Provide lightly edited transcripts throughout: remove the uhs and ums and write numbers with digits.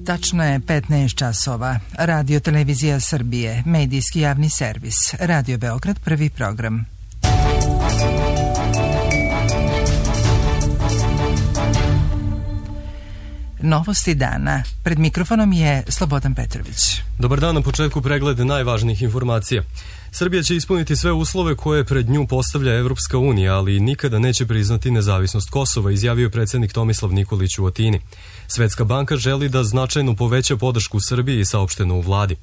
Tačno je 15 časova. Radio Televizija Srbije, medijski javni servis. Radio Beograd, prvi program. Novosti dana. Pred mikrofonom je Slobodan Petrović. Dobar dan, na početku pregled najvažnijih informacija. Srbija će ispuniti sve uslove koje pred nju postavlja Evropska unija, ali nikada neće priznati nezavisnost Kosova, izjavio predsjednik Tomislav Nikolić u Atini. Svetska banka želi da značajno poveća podršku Srbiji, saopšteno u vladi.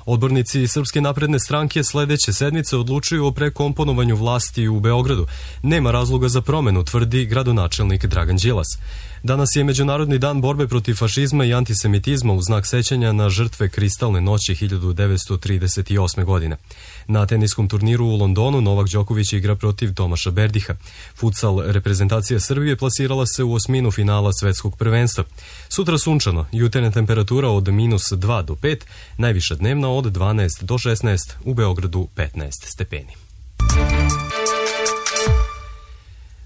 Odbornici Srpske napredne stranke sledeće sedmice odlučuju o prekomponovanju vlasti u Beogradu. Nema razloga za promenu, tvrdi gradonačelnik Dragan Đilas. Danas je Međunarodni dan borbe protiv fašizma i antisemitizma u znak sećanja na žrtve Kristalne noći 1938. godine. Na teniskom turniru u Londonu Novak Đoković igra protiv Tomaša Berdiha. Futsal reprezentacija Srbije plasirala se u osminu finala svetskog prvenstva. Sutra sunčano, jutarnja temperatura od -2 do 5, najviša dnevna od 12 do 16, u Beogradu 15 stepeni.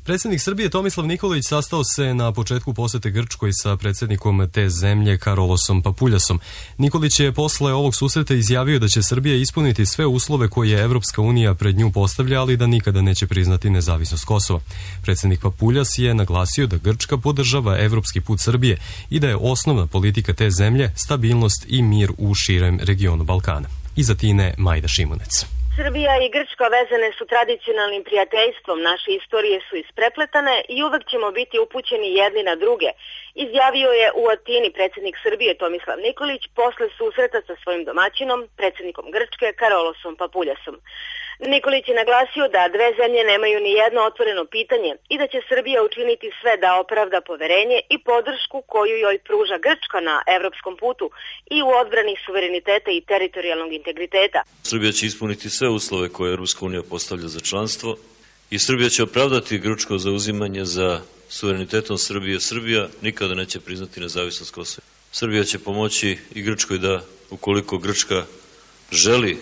Predsjednik Srbije Tomislav Nikolić sastao se na početku posete Grčkoj sa predsjednikom te zemlje Karolosom Papuljasom. Nikolić je posle ovog susreta izjavio da će Srbija ispuniti sve uslove koje Evropska unija pred nju postavlja, ali da nikada neće priznati nezavisnost Kosova. Predsjednik Papuljas je naglasio da Grčka podržava evropski put Srbije i da je osnovna politika te zemlje stabilnost i mir u širem regionu Balkana. Iz Atine Majda Šimunec. Srbija i Grčka vezane su tradicionalnim prijateljstvom, naše istorije su isprepletane i uvek ćemo biti upućeni jedni na druge, izjavio je u Atini predsjednik Srbije Tomislav Nikolić posle susreta sa svojim domaćinom, predsjednikom Grčke Karolosom Papuljasom. Nikolić je naglasio da dve zemlje nemaju ni jedno otvoreno pitanje i da će Srbija učiniti sve da opravda poverenje i podršku koju joj pruža Grčka na evropskom putu i u odbrani suvereniteta i teritorijalnog integriteta. Srbija će ispuniti sve uslove koje Evropska unija postavlja za članstvo i Srbija će opravdati grčko zauzimanje za suverenitetom Srbije. Srbija nikada neće priznati nezavisnost Kosova. Srbija će pomoći i Grčkoj da, ukoliko Grčka želi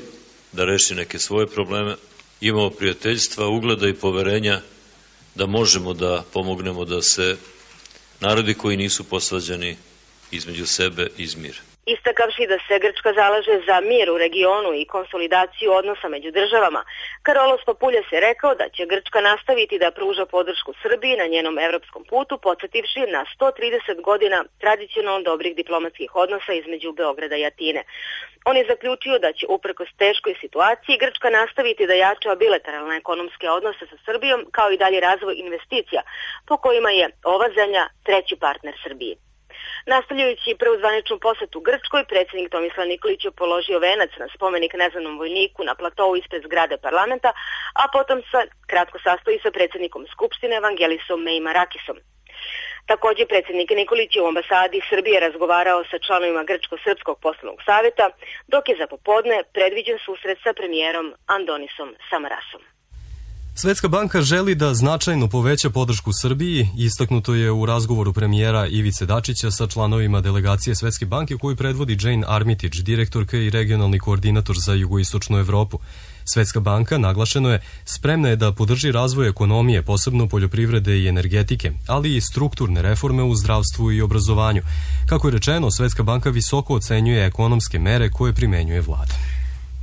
da reši neke svoje probleme, imamo prijateljstva, ugleda i poverenja da možemo da pomognemo da se narodi koji nisu posvađani između sebe izmire. Istakavši da se Grčka zalaže za mir u regionu i konsolidaciju odnosa među državama, Karolos Papuljas je rekao da će Grčka nastaviti da pruža podršku Srbiji na njenom evropskom putu, podsjetivši na 130 godina tradicionalno dobrih diplomatskih odnosa između Beograda i Atine. On je zaključio da će uprkos teškoj situaciji Grčka nastaviti da jača bilateralne ekonomske odnose sa Srbijom, kao i dalje razvoj investicija, po kojima je ova zemlja treći partner Srbiji. Nastavljajući prvu zvaničnu posetu Grčkoj, predsjednik Tomislav Nikolić je položio venac na spomenik neznanom vojniku na platovu ispred zgrade parlamenta, a potom se kratko sastoji sa predsjednikom Skupštine Evangelisom Meimarakisom. Također predsjednik Nikolić je u ambasadi Srbije razgovarao sa članovima Grčko-Srpskog poslovnog savjeta, dok je za popodne predviđen susret sa premijerom Andonisom Samarasom. Svetska banka želi da značajno poveća podršku Srbiji, istaknuto je u razgovoru premijera Ivice Dačića sa članovima delegacije Svetske banke koju predvodi Jane Armitage, direktorka i regionalni koordinator za jugoistočnu Evropu. Svetska banka, naglašeno je, spremna je da podrži razvoj ekonomije, posebno poljoprivrede i energetike, ali i strukturne reforme u zdravstvu i obrazovanju. Kako je rečeno, Svetska banka visoko ocenjuje ekonomske mere koje primenjuje vlada.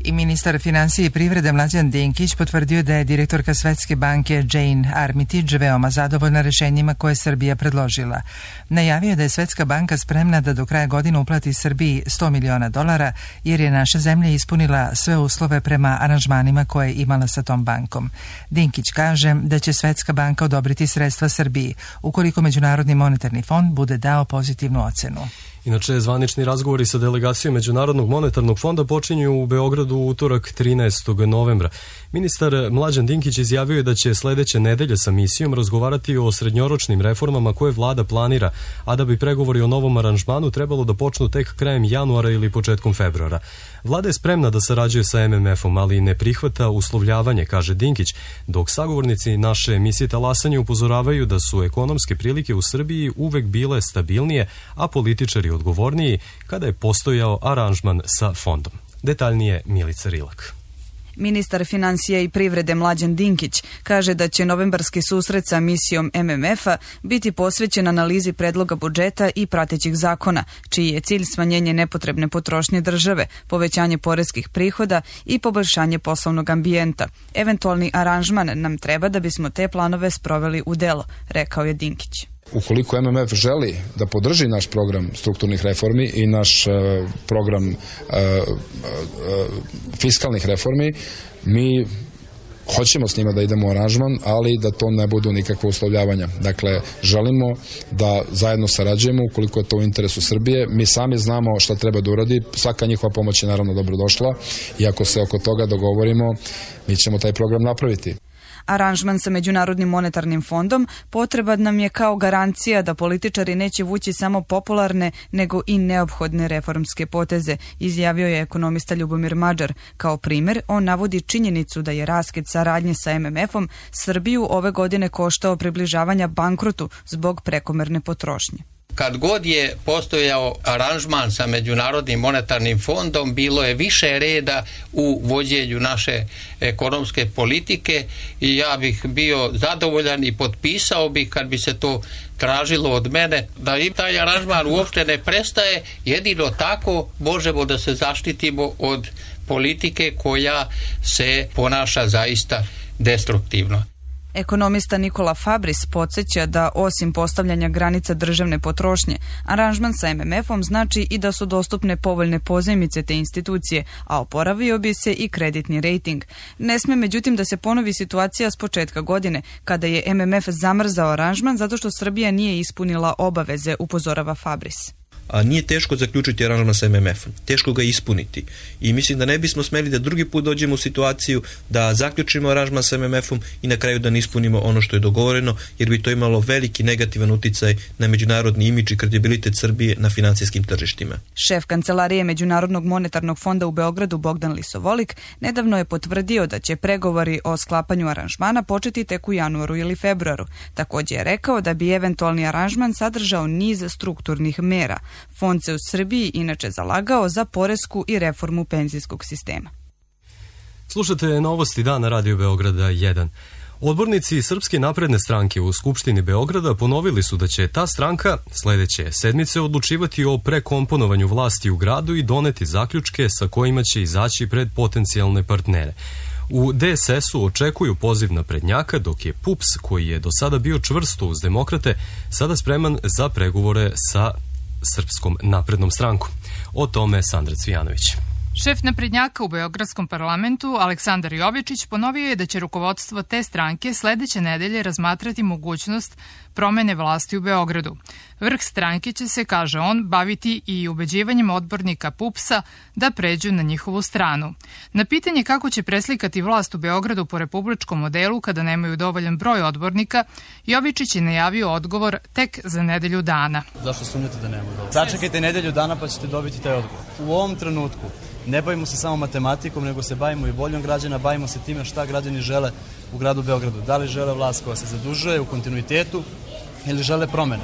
I ministar finansije i privrede Mlađan Dinkić potvrdio da je direktorka Svetske banke Jane Armitage veoma zadovoljna rešenjima koje je Srbija predložila. Najavio je da je Svetska banka spremna da do kraja godine uplati Srbiji $100 miliona jer je naša zemlja ispunila sve uslove prema aranžmanima koje je imala sa tom bankom. Dinkić kaže da će Svetska banka odobriti sredstva Srbiji ukoliko Međunarodni monetarni fond bude dao pozitivnu ocenu. Inače, zvanični razgovori sa delegacijom Međunarodnog monetarnog fonda počinju u Beogradu u utorak 13. novembra. Ministar Mlađan Dinkić izjavio je da će sledeće nedelje sa misijom razgovarati o srednjoročnim reformama koje vlada planira, a da bi pregovori o novom aranžmanu trebalo da počnu tek krajem januara ili početkom februara. Vlada je spremna da sarađuje sa MMF-om, ali ne prihvata uslovljavanje, kaže Dinkić, dok sagovornici naše emisije Talasanje upozoravaju da su ekonomske prilike u Srbiji uvek bile stabilnije, a političari odgovorniji kada je postojao aranžman sa fondom. Detaljnije Milica Rilak. Ministar financija i privrede Mlađan Dinkić kaže da će novembarski susret sa misijom MMF-a biti posvećen analizi predloga budžeta i pratećih zakona, čiji je cilj smanjenje nepotrebne potrošnje države, povećanje poreskih prihoda i poboljšanje poslovnog ambijenta. Eventualni aranžman nam treba da bismo te planove sproveli u delo, rekao je Dinkić. Ukoliko MMF želi da podrži naš program strukturnih reformi i naš program fiskalnih reformi, mi hoćemo s njima da idemo u aranžman, ali da to ne budu nikakve uslovljavanja. Dakle, želimo da zajedno sarađujemo ukoliko je to u interesu Srbije. Mi sami znamo šta treba da uradi. Svaka njihova pomoć je naravno dobrodošla i ako se oko toga dogovorimo, mi ćemo taj program napraviti. Aranžman sa Međunarodnim monetarnim fondom potreban nam je kao garancija da političari neće vući samo popularne, nego i neophodne reformske poteze, izjavio je ekonomista Ljubomir Mađar. Kao primjer, on navodi činjenicu da je raskid saradnje sa MMF-om Srbiju ove godine koštao približavanja bankrotu zbog prekomerne potrošnje. Kad god je postojao aranžman sa Međunarodnim monetarnim fondom, bilo je više reda u vođenju naše ekonomske politike i ja bih bio zadovoljan i potpisao bih kad bi se to tražilo od mene, da im taj aranžman uopšte ne prestaje. Jedino tako možemo da se zaštitimo od politike koja se ponaša zaista destruktivno. Ekonomista Nikola Fabris podsjeća da osim postavljanja granica državne potrošnje, aranžman sa MMF-om znači i da su dostupne povoljne pozajmice te institucije, a oporavio bi se i kreditni rejting. Ne sme međutim da se ponovi situacija s početka godine, kada je MMF zamrzao aranžman zato što Srbija nije ispunila obaveze, upozorava Fabris. A nije teško zaključiti aranžman sa MMF-om, teško ga ispuniti. I mislim da ne bismo smeli da drugi put dođemo u situaciju da zaključimo aranžman sa MMF-om i na kraju da ne ispunimo ono što je dogovoreno, jer bi to imalo veliki negativan uticaj na međunarodni imidž i kredibilitet Srbije na finansijskim tržištima. Šef Kancelarije Međunarodnog monetarnog fonda u Beogradu Bogdan Lisovolik nedavno je potvrdio da će pregovori o sklapanju aranžmana početi tek u januaru ili februaru. Također je rekao da bi eventualni aranžman sadržao niz strukturnih mera. Fond se u Srbiji inače zalagao za poresku i reformu penzijskog sistema. Slušate novosti dana Radio Beograda 1. Odbornici Srpske napredne stranke u Skupštini Beograda ponovili su da će ta stranka sledeće sedmice odlučivati o prekomponovanju vlasti u gradu i doneti zaključke sa kojima će izaći pred potencijalne partnere. U DSS-u očekuju poziv naprednjaka, dok je PUPS, koji je do sada bio čvrsto uz demokrate, sada spreman za pregovore sa Srpskom naprednom strankom. O tome Sandra Cvijanović. Šef naprednjaka u Beogradskom parlamentu Aleksandar Jovičić ponovio je da će rukovodstvo te stranke sledeće nedelje razmatrati mogućnost promene vlasti u Beogradu. Vrh stranke će se, kaže on, baviti i ubeđivanjem odbornika PUPS-a da pređu na njihovu stranu. Na pitanje kako će preslikati vlast u Beogradu po republičkom modelu kada nemaju dovoljan broj odbornika, Jovičić je najavio odgovor tek za nedelju dana. Zašto sumnjate da nemamo dovoljno? Začekajte nedelju dana pa ćete dobiti taj odgovor. U ovom trenutku ne bavimo se samo matematikom, nego se bavimo i voljom građana, bavimo se time šta građani žele u gradu Beogradu. Da li žele vlast koja se zadužuje u kontinuitetu ili žele promene.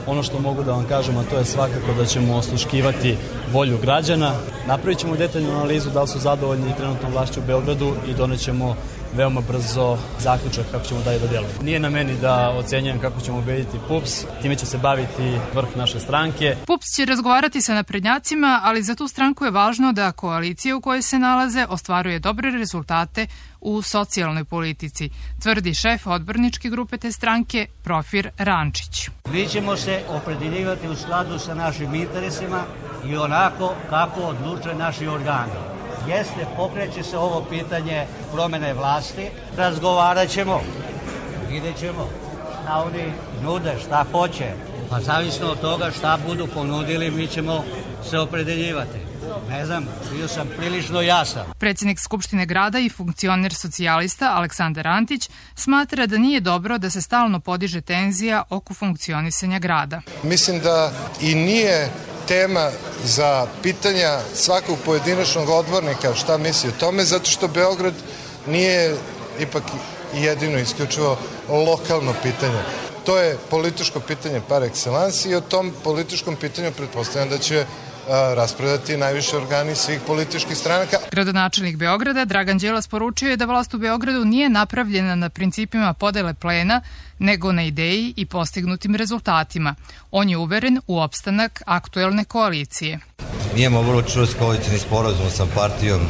Ono što mogu da vam kažem, a to je svakako da ćemo osluškivati volju građana. Napravit ćemo detaljnu analizu da li su zadovoljni trenutnom vlašću u Beogradu i donećemo veoma brzo zaključak kako ćemo dalje da djelujemo. Nije na meni da ocenjujem kako ćemo ubediti PUPS, time će se baviti vrh naše stranke. PUPS će razgovarati sa naprednjacima, ali za tu stranku je važno da koalicija u kojoj se nalaze ostvaruje dobre rezultate u socijalnoj politici, tvrdi šef odborničke grupe te stranke Profir Rančić. Mi ćemo se opredeljivati u skladu sa našim interesima i onako kako odlučuju naši organi. Jeste, pokreće se ovo pitanje promene vlasti, razgovarat ćemo, vidjet ćemo šta oni nude, šta hoće, pa zavisno od toga šta budu ponudili mi ćemo se opredeljivati. Ne znam, bio sam prilično jasan. Predsjednik Skupštine grada i funkcioner socijalista Aleksandar Antić smatra da nije dobro da se stalno podiže tenzija oko funkcionisanja grada. Mislim da i nije tema za pitanja svakog pojedinačnog odbornika šta misli o tome, zato što Beograd nije ipak jedino isključivo lokalno pitanje. To je političko pitanje par excellence i o tom političkom pitanju pretpostavljam da će rasprodati najviše organi svih političkih stranaka. Gradonačelnik Beograda Dragan Đilas poručio je da vlast u Beogradu nije napravljena na principima podele plena, nego na ideji i postignutim rezultatima. On je uveren u opstanak aktuelne koalicije. Mi imamo vrlo čvrst koalicioni sporazum sa partijom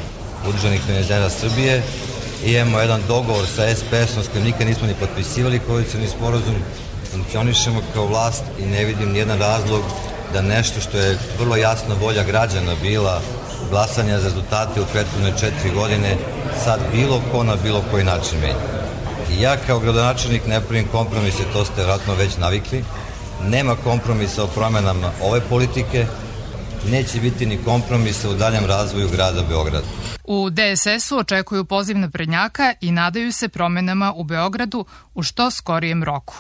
Udruženih penzionera Srbije i imamo jedan dogovor sa SPS-om s kojim nikad nismo ni potpisivali koalicioni sporazum. Funkcionišemo kao vlast i ne vidim nijedan razlog da nešto što je vrlo jasna volja građana bila glasanja za rezultate u prethodne 4 godine sad bilo ko na bilo koji način menja. I ja kao gradonačelnik ne pravim kompromise, to ste vjerojatno već navikli. Nema kompromisa o promjenama ove politike, neće biti ni kompromisa u daljem razvoju grada Beograda. U DSS-u očekuju poziv naprednjaka i nadaju se promjenama u Beogradu u što skorijem roku.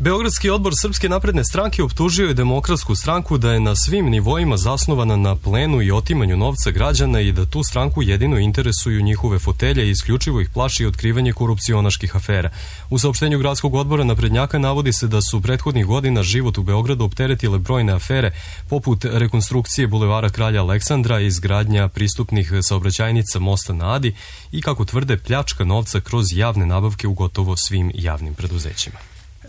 Beogradski odbor Srpske napredne stranke optužio je Demokratsku stranku da je na svim nivoima zasnovana na plenu i otimanju novca građana i da tu stranku jedino interesuju njihove fotelje i isključivo ih plaši otkrivanje korupcionaških afera. U saopštenju gradskog odbora naprednjaka navodi se da su prethodnih godina život u Beogradu opteretile brojne afere, poput rekonstrukcije bulevara Kralja Aleksandra, izgradnja pristupnih saobraćajnica mosta na Adi i, kako tvrde, pljačka novca kroz javne nabavke u gotovo svim javnim preduzećima.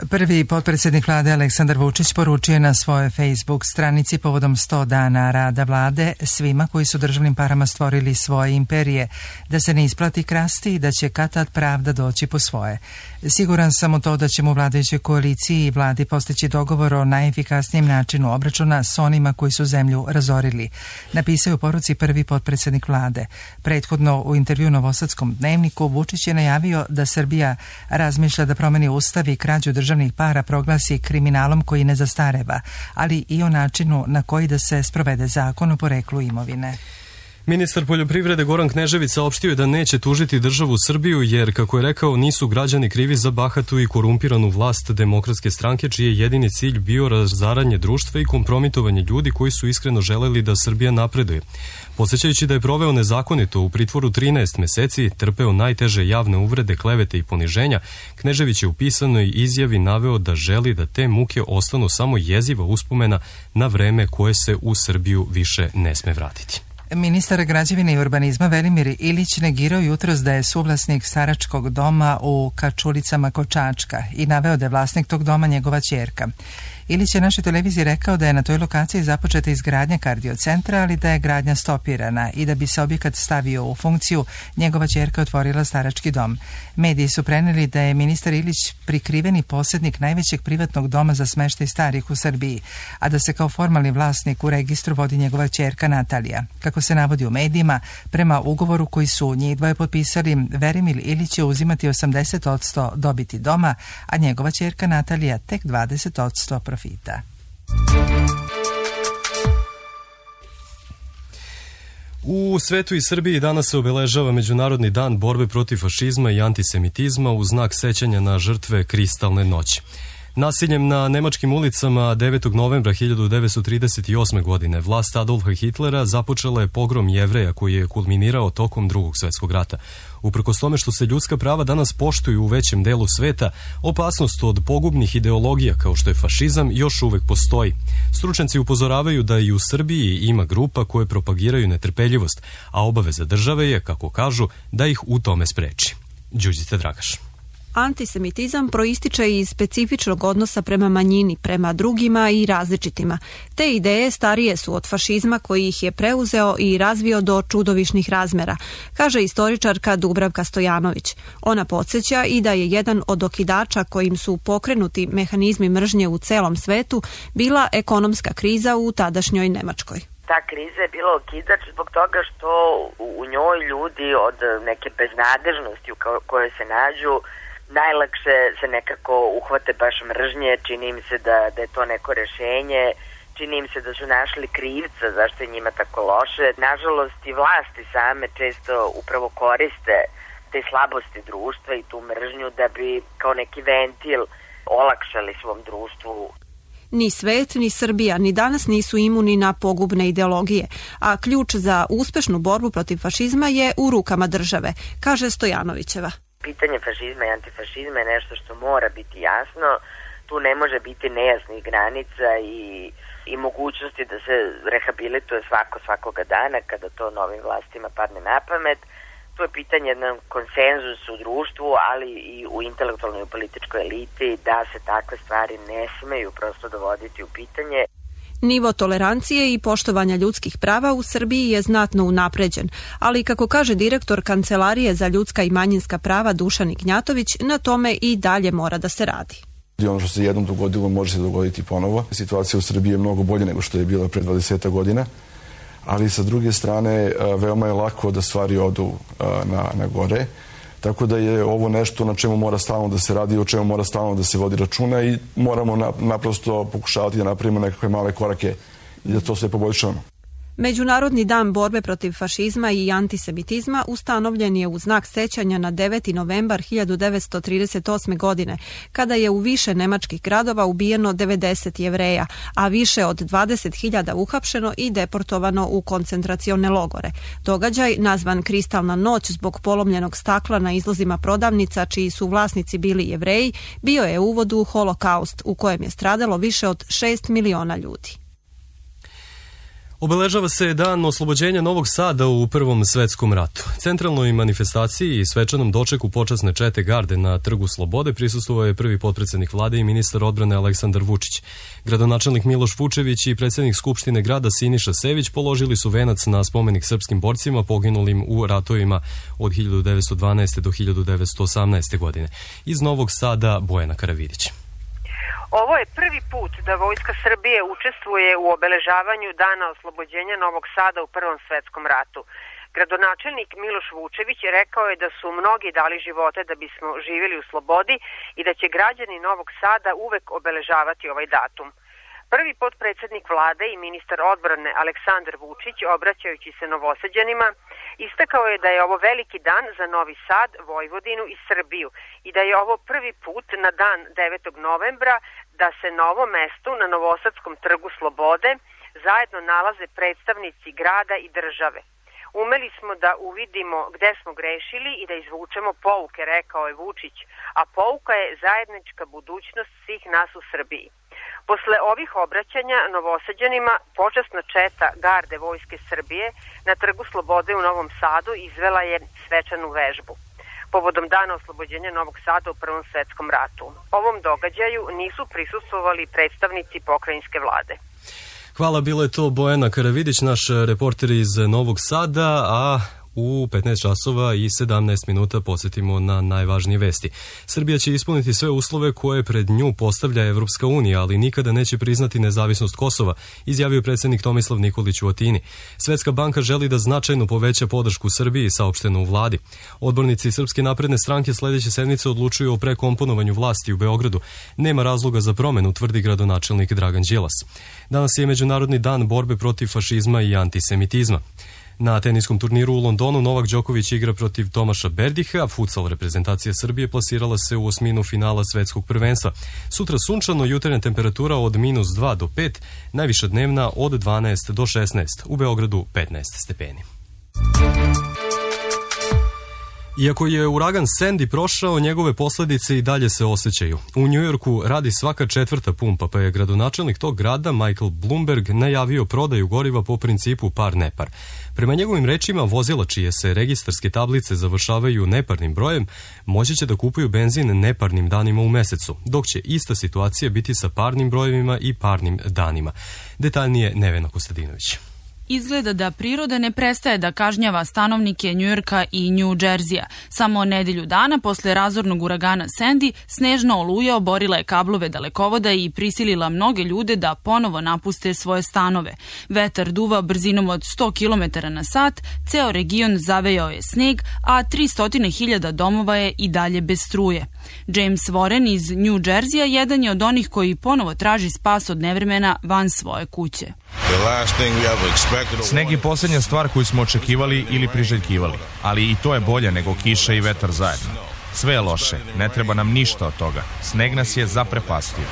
Prvi potpredsjednik vlade Aleksandar Vučić poručio na svojoj Facebook stranici povodom 100 dana rada vlade svima koji su državnim parama stvorili svoje imperije, da se ne isplati krasti i da će kad-tad pravda doći po svoje. Siguran sam u to da ćemo u vladajućoj koaliciji i vladi postići dogovor o najefikasnijem načinu obračuna s onima koji su zemlju razorili, napisao u poruci prvi potpredsjednik vlade. Prethodno u intervju Novosadskom dnevniku Vučić je najavio da Srbija razmišlja da promeni ustav i krađu državnih para proglasi kriminalom koji ne zastareva, ali i o načinu na koji da se sprovede zakon o poreklu imovine. Ministar poljoprivrede Goran Knežević saopštio je da neće tužiti državu Srbiju jer, kako je rekao, nisu građani krivi za bahatu i korumpiranu vlast Demokratske stranke, čiji je jedini cilj bio razaranje društva i kompromitovanje ljudi koji su iskreno želeli da Srbija napreduje. Podsjećajući da je proveo nezakonito u pritvoru 13 meseci, trpeo najteže javne uvrede, klevete i poniženja, Knežević je u pisanoj izjavi naveo da želi da te muke ostanu samo jeziva uspomena na vreme koje se u Srbiju više ne sme vratiti. Ministar građevine i urbanizma Velimir Ilić negirao jutros da je suvlasnik staračkog doma u Kačulicama kod Čačka i naveo da je vlasnik tog doma njegova ćerka. Ilić je našoj televiziji rekao da je na toj lokaciji započeta izgradnja kardiocentra, ali da je gradnja stopirana i da bi se objekat stavio u funkciju, njegova ćerka otvorila starački dom. Mediji su preneli da je ministar Ilić prikriveni posjednik najvećeg privatnog doma za smeštaj starih u Srbiji, a da se kao formalni vlasnik u registru vodi njegova ćerka Natalija. Kako se navodi u medijima, prema ugovoru koji su njih dvoje potpisali, Velimir Ilić će uzimati 80% dobiti doma, a njegova ćerka Natalija tek 20% profita. U svetu i Srbiji danas se obeležava Međunarodni dan borbe protiv fašizma i antisemitizma u znak sećanja na žrtve Kristalne noći. Nasiljem na nemačkim ulicama 9. novembra 1938. godine vlast Adolfa Hitlera započela je pogrom Jevreja koji je kulminirao tokom Drugog svjetskog rata. Uprkos tome što se ljudska prava danas poštuju u većem delu sveta, opasnost od pogubnih ideologija kao što je fašizam još uvek postoji. Stručnjaci upozoravaju da i u Srbiji ima grupa koje propagiraju netrpeljivost, a obaveza države je, kako kažu, da ih u tome spreči. Đurđica Dragaš. Antisemitizam proističe iz specifičnog odnosa prema manjini, prema drugima i različitima. Te ideje starije su od fašizma koji ih je preuzeo i razvio do čudovišnih razmera, kaže istoričarka Dubravka Stojanović. Ona podsjeća i da je jedan od okidača kojim su pokrenuti mehanizmi mržnje u celom svetu bila ekonomska kriza u tadašnjoj Nemačkoj. Ta kriza je bila okidač zbog toga što u njoj ljudi od neke beznadežnosti u kojoj se nađu najlakše se nekako uhvate baš mržnje, čini im se da je to neko rešenje, čini im se da su našli krivca zašto je njima tako loše. Nažalost i vlasti same često upravo koriste te slabosti društva i tu mržnju da bi kao neki ventil olakšali svom društvu. Ni svet, ni Srbija, ni danas nisu imuni na pogubne ideologije, a ključ za uspešnu borbu protiv fašizma je u rukama države, kaže Stojanovićeva. Pitanje fašizma i antifašizma je nešto što mora biti jasno. tu ne može biti nejasnih granica i mogućnosti da se rehabilituje svakoga dana kada to novim vlastima padne na pamet. To je pitanje jednog konsenzusa u društvu, ali i u intelektualnoj i političkoj eliti, da se takve stvari ne smeju prosto dovoditi u pitanje. Nivo tolerancije i poštovanja ljudskih prava u Srbiji je znatno unapređen, ali kako kaže direktor Kancelarije za ljudska i manjinska prava Dušan Ignjatović, na tome i dalje mora da se radi. Ono što se jednom dogodilo može se dogoditi ponovo. Situacija u Srbiji je mnogo bolja nego što je bila pre 20 godina, ali sa druge strane veoma je lako da stvari odu na gore. Tako da je ovo nešto na čemu mora stalno da se radi, o čemu mora stalno da se vodi računa i moramo naprosto pokušavati da napravimo nekakve male korake i da to sve poboljšamo. Međunarodni dan borbe protiv fašizma i antisemitizma ustanovljen je u znak sećanja na 9. novembar 1938. godine, kada je u više nemačkih gradova ubijeno 90 Jevreja, a više od 20.000 uhapšeno i deportovano u koncentracione logore. Događaj, nazvan Kristalna noć zbog polomljenog stakla na izlozima prodavnica čiji su vlasnici bili Jevreji, bio je uvod u holokaust u kojem je stradalo više od 6 miliona ljudi. Obeležava se dan oslobođenja Novog Sada u Prvom svetskom ratu. Centralnoj manifestaciji i svečanom dočeku počasne čete garde na Trgu Slobode prisustvovao je prvi potpredsednik vlade i ministar odbrane Aleksandar Vučić. Gradonačelnik Miloš Vučević i predsednik Skupštine grada Siniša Sević položili su venac na spomenik srpskim borcima poginulim u ratovima od 1912. do 1918. godine. Iz Novog Sada Bojana Karavidić. Ovo je prvi put da Vojska Srbije učestvuje u obeležavanju Dana oslobođenja Novog Sada u Prvom svetskom ratu. Gradonačelnik Miloš Vučević rekao je da su mnogi dali živote da bismo živjeli u slobodi i da će građani Novog Sada uvek obeležavati ovaj datum. Prvi potpredsednik vlade i ministar odbrane Aleksandar Vučić, obraćajući se Novosađanima, istakao je da je ovo veliki dan za Novi Sad, Vojvodinu i Srbiju i da je ovo prvi put na dan 9. novembra da se na ovom mestu, na Novosadskom trgu Slobode, zajedno nalaze predstavnici grada i države. Umeli smo da uvidimo gde smo grešili i da izvučemo pouke, rekao je Vučić, a pouka je zajednička budućnost svih nas u Srbiji. Posle ovih obraćanja Novosađanima počasna četa garde Vojske Srbije na Trgu Slobode u Novom Sadu izvela je svečanu vežbu povodom Dana oslobođenja Novog Sada u Prvom svetskom ratu. Ovom događaju nisu prisustvovali predstavnici pokrajinske vlade. Hvala, bila je to Bojana Karavidić, naš reporter iz Novog Sada, a u 15 časova i 17 minuta podsjetimo na najvažnije vesti. Srbija će ispuniti sve uslove koje pred nju postavlja Evropska unija, ali nikada neće priznati nezavisnost Kosova, izjavio predsednik Tomislav Nikolić u Atini. Svetska banka želi da značajno poveća podršku Srbiji, saopšteno u vladi. Odbornici Srpske napredne stranke sledeće sedmice odlučuju o prekomponovanju vlasti u Beogradu. Nema razloga za promenu, tvrdi gradonačelnik Dragan Đilas. Danas je Međunarodni dan borbe protiv fašizma i antisemitizma. Na teniskom turniru u Londonu Novak Đoković igra protiv Tomaša Berdiha, futsal reprezentacija Srbije plasirala se u osminu finala svetskog prvenstva. Sutra sunčano, jutarnja temperatura od -2 do 5, najviša dnevna od 12 do 16, u Beogradu 15 stepeni. Iako je uragan Sandy prošao, njegove posledice i dalje se osjećaju. U Njujorku radi svaka 4. pumpa, pa je gradonačelnik tog grada, Michael Bloomberg, najavio prodaju goriva po principu par-nepar. Prema njegovim rečima, vozila čije se registarske tablice završavaju neparnim brojem, moći će da kupuju benzin neparnim danima u mesecu, dok će ista situacija biti sa parnim brojevima i parnim danima. Detaljnije Nevena Kostadinović. Izgleda da priroda ne prestaje da kažnjava stanovnike Njujorka i New Jersey-a. Samo nedelju dana posle razornog uragana Sandy, snežna oluja oborila je kablove dalekovoda i prisilila mnoge ljude da ponovo napuste svoje stanove. Vetar duva brzinom od 100 km na sat, ceo region zavejao je sneg, a 300.000 domova je i dalje bez struje. James Warren iz New Jersey-a jedan je od onih koji ponovo traži spas od nevremena van svoje kuće. Sneg je posljednja stvar koju smo očekivali ili priželjkivali, ali i to je bolje nego kiša i vetar zajedno. Sve je loše, ne treba nam ništa od toga. Sneg nas je zaprepastio.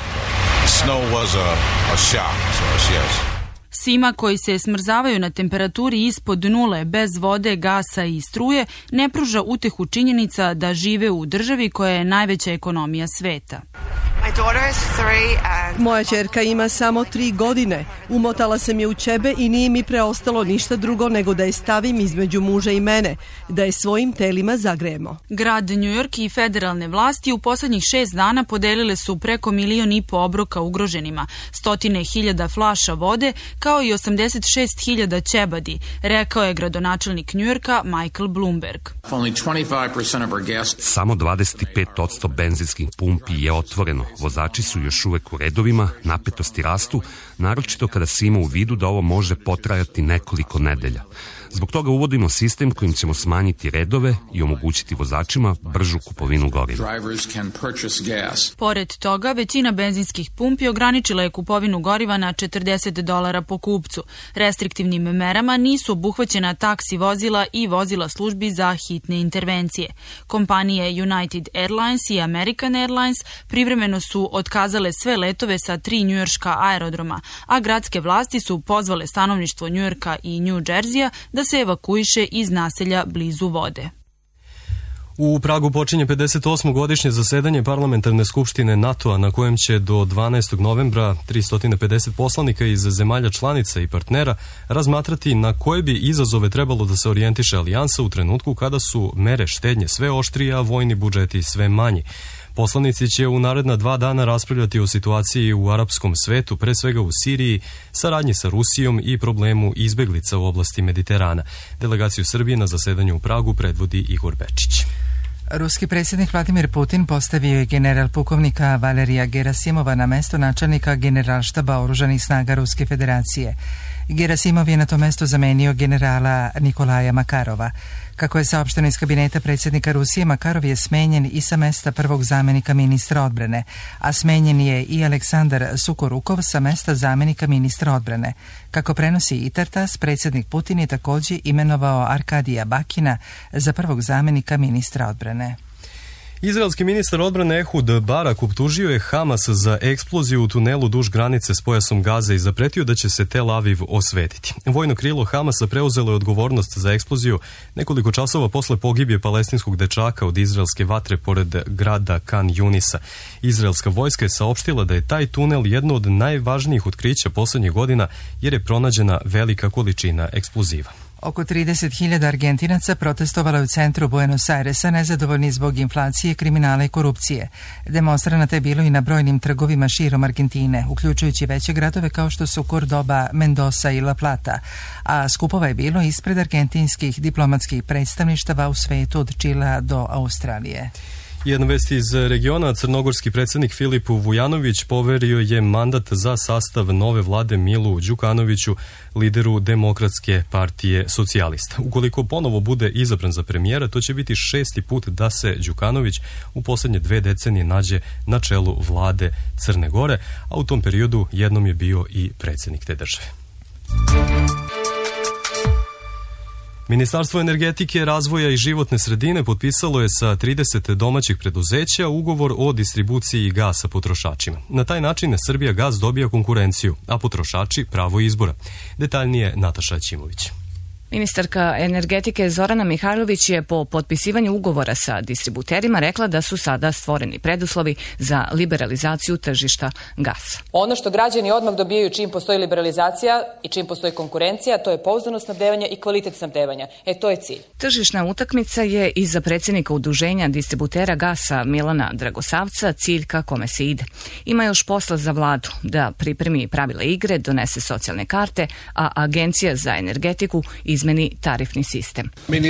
Svima koji se smrzavaju na temperaturi ispod nule, bez vode, gasa i struje, ne pruža utehu činjenica da žive u državi koja je najveća ekonomija sveta. Moja ćerka ima samo 3 godine. Umotala sam je u ćebe i nije mi preostalo ništa drugo nego da je stavim između muža i mene, da je svojim telima zagrejemo. Grad New York i federalne vlasti u poslednjih 6 dana podelile su preko 1,5 miliona obroka ugroženima, 100.000 flaša vode, kao i 86.000 ćebadi, rekao je gradonačelnik New Yorka Michael Bloomberg. Samo 25% benzinskih pumpi je otvoreno. Vozači su još uvek u redovima, napetosti rastu, naročito kada se ima u vidu da ovo može potrajati nekoliko nedelja. Zbog toga uvodimo sistem kojim ćemo smanjiti redove i omogućiti vozačima bržu kupovinu goriva. Pored toga, većina benzinskih pumpi ograničila je kupovinu goriva na $40 po kupcu. Restriktivnim merama nisu obuhvaćena taksi vozila i vozila službi za hitne intervencije. Kompanije United Airlines i American Airlines privremeno su otkazale sve letove sa 3 njujorška aerodroma, a gradske vlasti su pozvale stanovništvo Njujorka i New Jersey da se evakuiše iz naselja blizu vode. U Pragu počinje 58. godišnje zasedanje Parlamentarne skupštine NATO-a na kojem će do 12. novembra 350 poslanika iz zemalja članica i partnera razmatrati na koje bi izazove trebalo da se orijentiše alijansa u trenutku kada su mere štednje sve oštrije, a vojni budžeti sve manji. Poslanici će u naredna 2 dana raspravljati o situaciji u arapskom svetu, pre svega u Siriji, saradnji sa Rusijom i problemu izbeglica u oblasti Mediterana. Delegaciju Srbije na zasedanju u Pragu predvodi Igor Bečić. Ruski predsjednik Vladimir Putin postavio je general pukovnika Valerija Gerasimova na mesto načelnika generalštaba oružanih snaga Ruske federacije. Gerasimov je na to mesto zamenio generala Nikolaja Makarova. Kako je saopšteno iz kabineta predsjednika Rusije, Makarov je smenjen i sa mesta prvog zamenika ministra odbrane, a smenjen je i Aleksandar Sukorukov sa mesta zamenika ministra odbrane. Kako prenosi Itartas, predsjednik Putin je također imenovao Arkadija Bakina za prvog zamenika ministra odbrane. Izraelski ministar odbrane Ehud Barak optužio je Hamas za eksploziju u tunelu duž granice s pojasom Gaze i zapretio da će se Tel Aviv osvetiti. Vojno krilo Hamasa preuzelo je odgovornost za eksploziju nekoliko časova posle pogibije palestinskog dečaka od izraelske vatre pored grada Kan Junisa. Izraelska vojska je saopštila da je taj tunel jedno od najvažnijih otkrića poslednjih godina jer je pronađena velika količina eksploziva. Oko 30.000 Argentinaca protestovalo je u centru Buenos Airesa nezadovoljni zbog inflacije, kriminala i korupcije. Demonstranata je bilo i na brojnim trgovima širom Argentine, uključujući veće gradove kao što su Cordoba, Mendoza i La Plata, a skupova je bilo ispred argentinskih diplomatskih predstavništava u svetu od Čilea do Australije. Jedna vest iz regiona, crnogorski predsjednik Filip Vujanović poverio je mandat za sastav nove vlade Milu Đukanoviću, lideru Demokratske partije socijalista. Ukoliko ponovo bude izabran za premijera, to će biti 6. put da se Đukanović u posljednje 2 decenije nađe na čelu vlade Crne Gore, a u tom periodu jednom je bio i predsjednik te države. Ministarstvo energetike, razvoja i životne sredine potpisalo je sa 30 domaćih preduzeća ugovor o distribuciji gasa potrošačima. Na taj način Srbija gas dobija konkurenciju, a potrošači pravo izbora. Detaljnije Nataša Ćimović. Ministarka energetike Zorana Mihajlović je po potpisivanju ugovora sa distributerima rekla da su sada stvoreni preduslovi za liberalizaciju tržišta gasa. Ono što građani odmah dobijaju čim postoji liberalizacija i čim postoji konkurencija, to je pouzdano snabdevanje i kvalitet snabdevanja. To je cilj. Tržišna utakmica je i za predsjednika udruženja distributera gasa Milana Dragosavca cilj ka kome se ide. Ima još posla za vladu da pripremi pravila igre, donese socijalne karte, a Agencija za energetiku izmeni tarifni sistem. Mi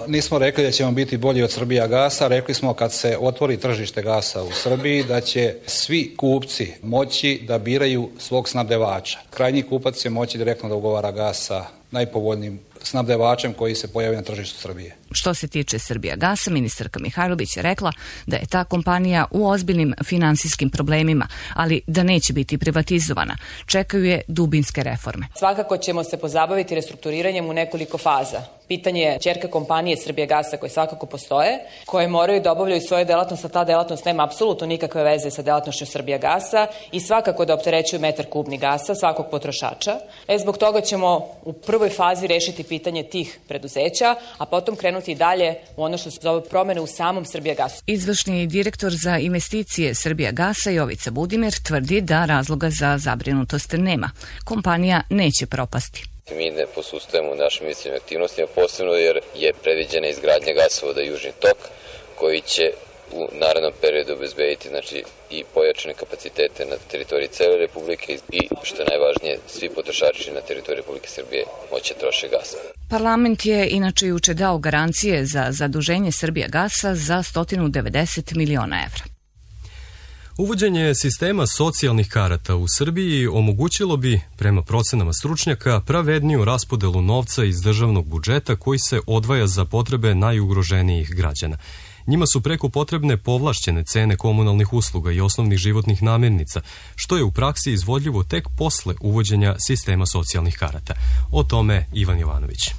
nismo rekli da ćemo biti bolji od Srbija gasa, rekli smo kad se otvori tržište gasa u Srbiji da će svi kupci moći da biraju svog snabdevača. Krajnji kupac će moći direktno da ugovara gas sa najpovoljnijim snabdevačem koji se pojavi na tržištu Srbije. Što se tiče Srbija gasa, ministarka Mihajlović je rekla da je ta kompanija u ozbiljnim finansijskim problemima, ali da neće biti privatizovana. Čekaju je dubinske reforme. Svakako ćemo se pozabaviti restrukturiranjem u nekoliko faza. Pitanje je ćerka kompanije Srbija gasa koje svakako postoje, koje moraju da obavljaju svoju delatnost, a ta delatnost nema apsolutno nikakve veze sa delatnošću Srbija gasa i svakako da opterećuju metar kubni gasa svakog potrošača. Zbog toga ćemo u prvoj fazi rešiti pitanje tih preduzeća, a potom krenuti krenuti dalje u ono što se zove promene u samom Srbijagasu. Izvršni direktor za investicije Srbijagasa Jovica Budimir tvrdi da razloga za zabrinutost nema. Kompanija neće propasti. Mi ne posustajemo u našim investicijnim aktivnostima, posebno jer je predviđena izgradnja gasovoda Južni tok, koji će u narednom periodu obezbediti i pojačane kapacitete na teritoriji cele Republike i, što je najvažnije, svi potrošači na teritoriji Republike Srbije moće troše gas. Parlament je inače juče dao garancije za zaduženje Srbijagasa za 190 miliona evra. Uvođenje sistema socijalnih karata u Srbiji omogućilo bi, prema procenama stručnjaka, pravedniju raspodelu novca iz državnog budžeta koji se odvaja za potrebe najugroženijih građana. Njima su preko potrebne povlašćene cene komunalnih usluga i osnovnih životnih namirnica, što je u praksi izvodljivo tek posle uvođenja sistema socijalnih karata. O tome Ivan Jovanović.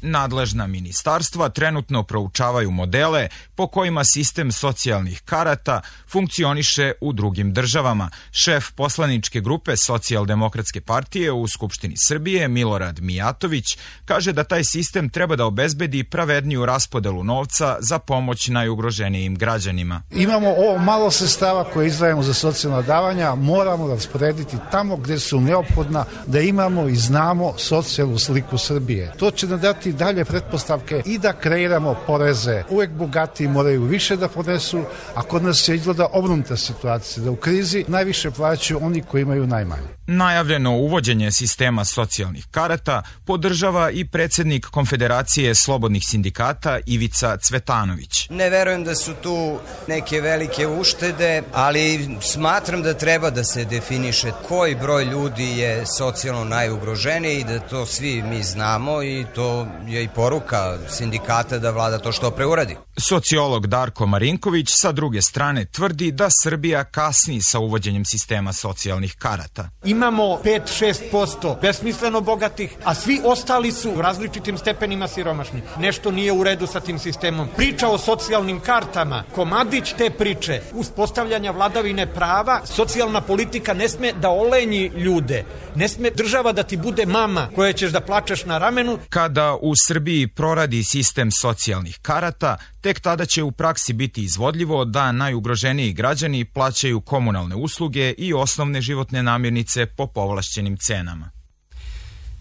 Nadležna ministarstva trenutno proučavaju modele po kojima sistem socijalnih karata funkcioniše u drugim državama. Šef poslaničke grupe Socijaldemokratske partije u Skupštini Srbije, Milorad Mijatović, kaže da taj sistem treba da obezbedi pravedniju raspodelu novca za pomoć najugroženijim građanima. Imamo ovo malo sredstava koje izdvajamo za socijalna davanja, moramo rasporediti tamo gde su neophodna da imamo i znamo socijalnu sliku Srbije. To će nam dati dalje pretpostavke i da kreiramo poreze. Uvek bogati moraju više da ponesu, a kod nas je izgleda obrnuta situacija, da u krizi najviše plaćaju oni koji imaju najmanje. Najavljeno uvođenje sistema socijalnih karata podržava i predsjednik Konfederacije slobodnih sindikata Ivica Cvetanović. Ne verujem da su tu neke velike uštede, ali smatram da treba da se definiše koji broj ljudi je socijalno najugroženiji i da to svi mi znamo i to je i poruka sindikata da vlada to što pre uradi. Sociolog Darko Marinković sa druge strane tvrdi da Srbija kasni sa uvođenjem sistema socijalnih karata. Imamo 5-6% besmisleno bogatih, a svi ostali su u različitim stepenima siromašni. Nešto nije u redu sa tim sistemom. Priča o socijalnim kartama, komadić te priče, uspostavljanja vladavine prava, socijalna politika ne sme da olenji ljude. Ne sme država da ti bude mama koja ćeš da plačeš na ramenu. Kada u Srbiji proradi sistem socijalnih karata, tek tada će u praksi biti izvodljivo da najugroženiji građani plaćaju komunalne usluge i osnovne životne namirnice po povlašćenim cenama.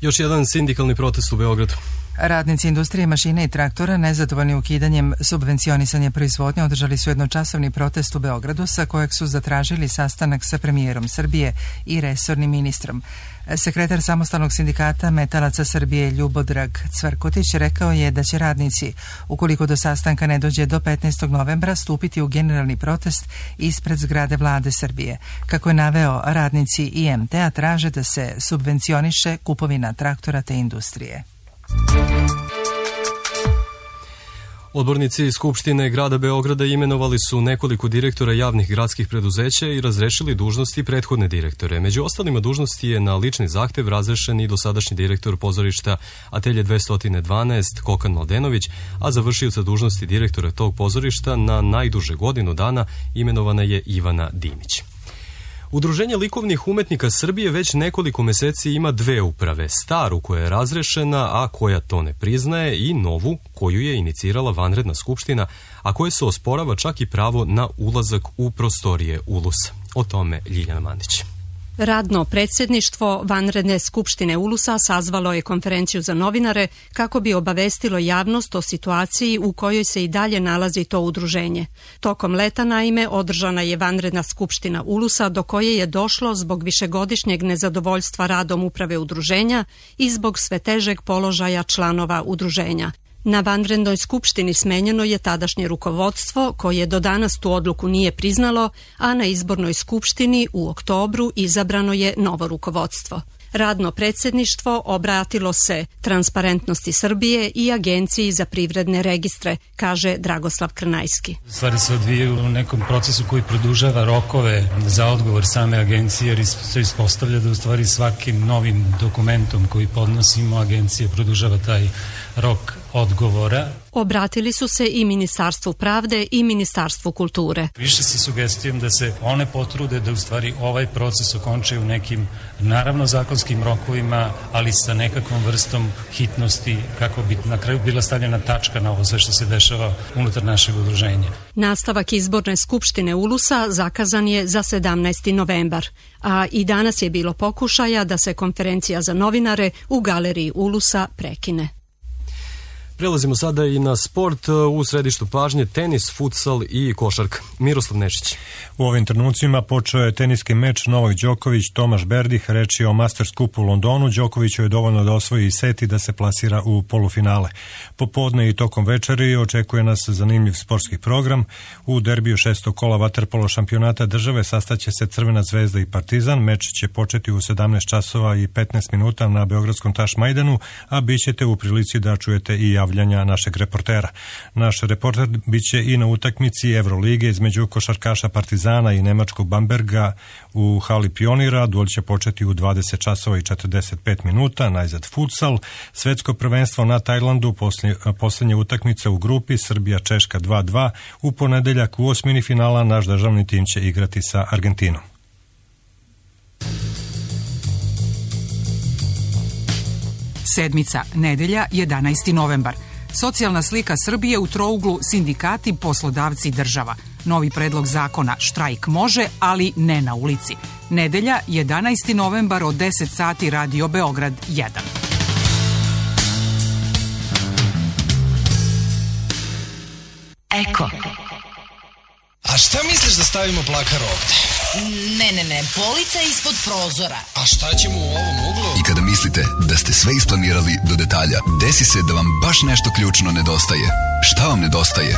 Još jedan sindikalni protest u Beogradu. Radnici industrije mašine i traktora, nezadovoljni ukidanjem subvencionisanja proizvodnje, održali su jednočasovni protest u Beogradu sa kojeg su zatražili sastanak sa premijerom Srbije i resornim ministrom. Sekretar samostalnog sindikata Metalaca Srbije Ljubodrag Cvrkotić rekao je da će radnici, ukoliko do sastanka ne dođe do 15. novembra, stupiti u generalni protest ispred zgrade vlade Srbije. Kako je naveo, radnici IMT-a traže da se subvencioniše kupovina traktora te industrije. Odbornici Skupštine grada Beograda imenovali su nekoliko direktora javnih gradskih preduzeća i razrešili dužnosti prethodne direktore. Među ostalima dužnosti je na lični zahtev razrešen i dosadašnji direktor pozorišta Atelje 212 Kokan Mladenović, a za vršioca dužnosti direktora tog pozorišta na najduže godinu dana imenovana je Ivana Dimić. Udruženje likovnih umetnika Srbije već nekoliko meseci ima dve uprave, staru koja je razrešena, a koja to ne priznaje, i novu koju je inicirala vanredna skupština, a koje se osporava čak i pravo na ulazak u prostorije Ulusa. O tome Ljiljana Mandić. Radno predsjedništvo vanredne skupštine Ulusa sazvalo je konferenciju za novinare kako bi obavestilo javnost o situaciji u kojoj se i dalje nalazi to udruženje. Tokom leta, naime, održana je vanredna skupština Ulusa do koje je došlo zbog višegodišnjeg nezadovoljstva radom uprave udruženja i zbog sve težeg položaja članova udruženja. Na vanrednoj skupštini smenjeno je tadašnje rukovodstvo koje do danas tu odluku nije priznalo, a na izbornoj skupštini u oktobru izabrano je novo rukovodstvo. Radno predsjedništvo obratilo se Transparentnosti Srbije i Agenciji za privredne registre, kaže Dragoslav Krnajski. Stvari se odvijaju u nekom procesu koji produžava rokove za odgovor same agencije, jer se ispostavlja da u stvari svakim novim dokumentom koji podnosimo agencija produžava taj rok odgovora. Obratili su se i Ministarstvu pravde i Ministarstvu kulture. Više sa sugestijom da se one potrude da u stvari ovaj proces okončaju nekim, naravno, zakonskim rokovima, ali sa nekakvom vrstom hitnosti kako bi na kraju bila stavljena tačka na ovo sve što se dešava unutar našeg udruženja. Nastavak izborne skupštine Ulusa zakazan je za 17. novembar, a i danas je bilo pokušaja da se konferencija za novinare u galeriji Ulusa prekine. Prelazimo sada i na sport. U središtu pažnje tenis, futsal i košarka. Miroslav Nešić. U ovim trenucima počeo je teniski meč Novak Đoković, Tomaš Berdih. Reč je o Masters Cupu u Londonu. Đokoviću je dovoljno da osvoji set i da se plasira u polufinale. Popodne i tokom večeri očekuje nas zanimljiv sportski program. U derbiju 6. kola vaterpolo šampionata države sastaće se Crvena zvezda i Partizan. Meč će početi u 17 časova i 15 minuta na Beogradskom Tašmajdanu, a bit ćete u prilici da čujete i javljanja našeg reportera. Naš reporter biće i na utakmici Evrolige između košarkaša Partizana i nemačkog Bamberga u hali Pionira. Duel će početi u 20 časova i 45 minuta. Najzad futsal. Svetsko prvenstvo na Tajlandu, posljednja utakmica u grupi Srbija-Češka 2-2. U ponedeljak u osmini finala naš državni tim će igrati sa Argentinom. Sedmica, nedelja, 11. novembar. Socijalna slika Srbije u trouglu sindikati, poslodavci i država. Novi predlog zakona: štrajk može, ali ne na ulici. Nedelja, 11. novembar od 10 sati, Radio Beograd 1. Eko. A šta misliš da stavimo plakar ovde? Ne, polica ispod prozora. A šta ćemo u ovom uglu? I kada mislite da ste sve isplanirali do detalja, desi se da vam baš nešto ključno nedostaje. Šta vam nedostaje?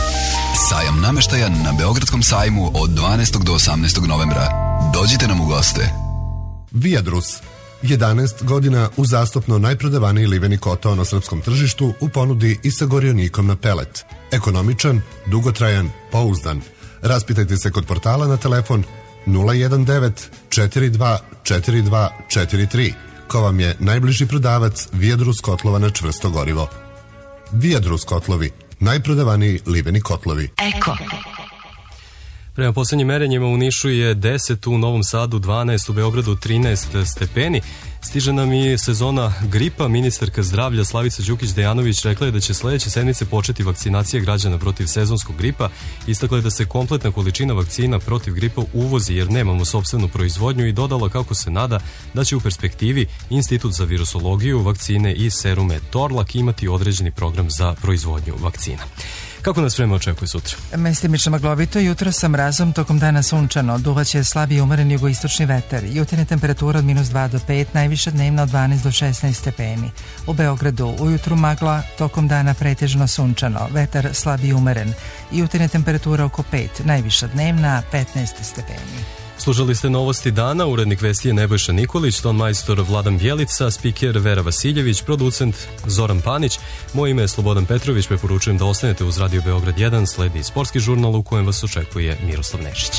Sajam nameštaja na Beogradskom sajmu od 12. do 18. novembra. Dođite nam u goste. Viadrus. 11 godina uzastopno najprodavaniji liveni kotao na srpskom tržištu u ponudi i sa gorionikom na pelet. Ekonomičan, dugotrajan, pouzdan. Raspitajte se kod portala na telefon 019 42 42 43, ko vam je najbliži prodavac Viadrus kotlova na čvrsto gorivo. Viadrus kotlovi, najprodavaniji liveni kotlovi. Eko. Prema posljednjim merenjima u Nišu je 10, u Novom Sadu 12, u Beogradu 13 stepeni. Stiže nam i sezona gripa. Ministarka zdravlja Slavica Đukić-Dejanović rekla je da će sledeće sedmice početi vakcinacija građana protiv sezonskog gripa. Istakla je da se kompletna količina vakcina protiv gripa uvozi jer nemamo sopstvenu proizvodnju i dodala kako se nada da će u perspektivi Institut za virusologiju, vakcine i serume Torlak imati određeni program za proizvodnju vakcina. Kako nas vreme očekuje sutra? Mestimično maglovito, jutro sa mrazom, tokom dana sunčano, duvaće slabiji umeren jugoistočni vetar. Jutarnja temperatura od -2 do 5, najviša dnevna od 12 do 16 stepeni. U Beogradu ujutru magla, tokom dana pretežno sunčano, vetar slabiji umeren. Jutarnja temperatura oko 5, najviša dnevna 15 stepeni. Slušali ste novosti dana, urednik vesti je Nebojša Nikolić, ton majstor Vladan Bjelica, spiker Vera Vasiljević, producent Zoran Panić. Moje ime je Slobodan Petrović, preporučujem da ostanete uz Radio Beograd 1, sledi sportski žurnal u kojem vas očekuje Miroslav Nešić.